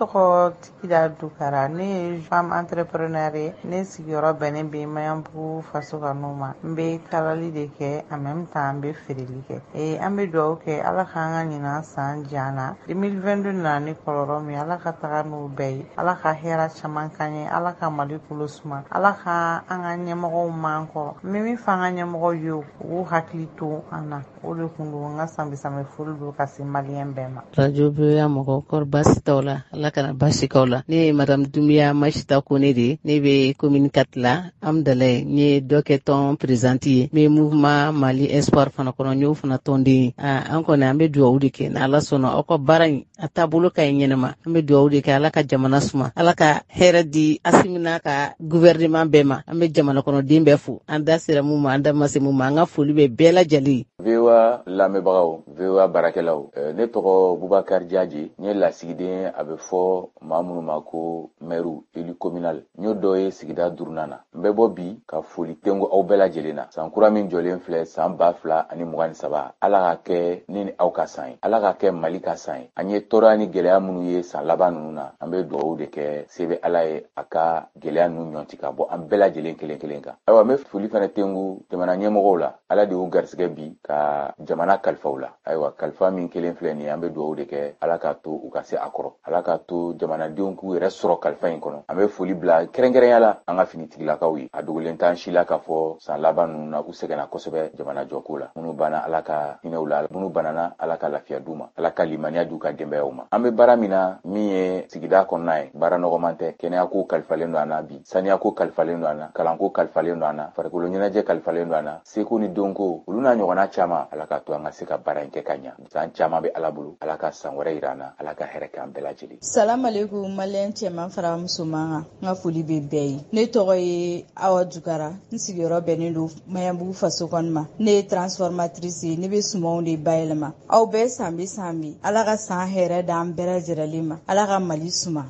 Tɔgɔ Tikida Dukara, ne ye femme entrepreneur ye. Ne sigiyɔrɔ bɛnnen bɛ Maɲanbugu Faso Kanu ma. N bɛ kalali de kɛ, en même temps n bɛ feereli kɛ. An bɛ dugawu kɛ Ala k'an ka ɲinan san diya an na. 2022 nana ni kɔlɔlɔ min ye, Ala ka taga n'o bɛɛ ye. Ala ka hɛrɛ caman k'an ye, Ala ka Mali kolo suma, Ala ka an ka ɲɛmɔgɔw man kɔrɔ. N bɛ min fɔ an ka ɲɛmɔgɔw ye, u k'u hakili to an na. O de kun don n ka sanbɛ foli don ka se maliyɛn bɛɛ ma. Radio VOA mɔgɔw, kɔri baasi t'aw la? Ala kana baasi k'aw la. Ne ye madame Dunbiya Masita Kone de ye. Ne bɛ commune 4 la, Amdalaye. N ye dɔ kɛ tɔn présidente ye. N bɛ mouvement Mali Espoir fana kɔnɔ, n y'o fana tɔnden ye. An kɔni, an bɛ dugawu de kɛ n'Ala sɔnna, aw ka baara in a taabolo ka ɲi ɲɛnama. An bɛ dugawu de kɛ, Ala ka jamana suma, Ala ka hɛrɛ di Asimi n'a ka gouvernement bɛɛ ma. An bɛ jamana kɔnɔden bɛɛ fo. An da sera mun ma, an da ma se mun ma, an ka foli bɛ bɛɛ lajɛlen. VOA lamɛnbagaw, VOA baarakɛlaw, ne tɔgɔ Bubakari Jaji, n ye lasigiden, a bɛ fɔ maa minnu ma ko mɛru, élu communal. N y'o dɔ ye sigida duurunan na. N bɛ bɔ bi ka foli tengo aw bɛɛ lajɛlen na. San kura min jɔlen filɛ, san 2023, Ala ka kɛ ne ni aw ka san ye, Ala ka kɛ Mali ka san ye. An ye tɔɔrɔya ni gɛlɛya minnu ye san laban ninnu na, an bɛ dugawu de kɛ, se bɛ Ala ye, a ka gɛlɛya ninnu ɲɔnti ka bɔ an bɛɛ lajɛlen kelen kelen kan. Ayiwa, n bɛ foli fana tengu jamana ɲɛmɔgɔw la. Ala de y'u garisɛgɛ bi ka jamana kalifa u la. Ayiwa, kalifa min kelen filɛ nin ye, an bɛ dugawu de kɛ, Ala k'a to u ka se a kɔrɔ, Ala k'a to jamanadenw k'u yɛrɛ sɔrɔ kalifa in kɔnɔ. An bɛ foli bila kɛrɛnkɛrɛnya la an ka finitigilakaw ye. A dogolen t'an si la k'a fɔ san laban ninnu na, u sɛgɛnna kosɛbɛ jamana jɔko la. Minnu banna, Ala ka hinɛ u la. Minnu banana, Ala ka lafiya d'u ma, Ala ka limaniya d'u ka denbayaw ma. An bɛ baara min na, min ye sigida kɔnɔna ye, baara nɔgɔman tɛ. Kɛnɛyako kalifalen don an na bi, saniyako kalifalen don an na, kalanko kalifalen don an na, farikolo ɲɛnajɛ kalifalen don an na, seko ni donko, olu n'a ɲɔgɔnna caman. Ala k'a to an ka se ka baara in kɛ ka ɲa. San caman bɛ Ala bolo. Ala ka san wɛrɛ yira an na, Ala ka hɛrɛ k'an bɛɛ lajɛlen. Salamalekum, maliyɛn cɛman fara musoman kan, n ka foli bɛ bɛɛ ye. Ne tɔgɔ ye Awa Dukara, n sigiyɔrɔ bɛnnen don Maɲanbugu faso kɔnɔ ma. Ne ye transformatrice ye, ne bɛ sumanw de bayɛlɛma. Aw bɛɛ san bɛ san bi, Ala ka san hɛrɛ d'an bɛɛ lajɛlen ma, Ala ka Mali suma.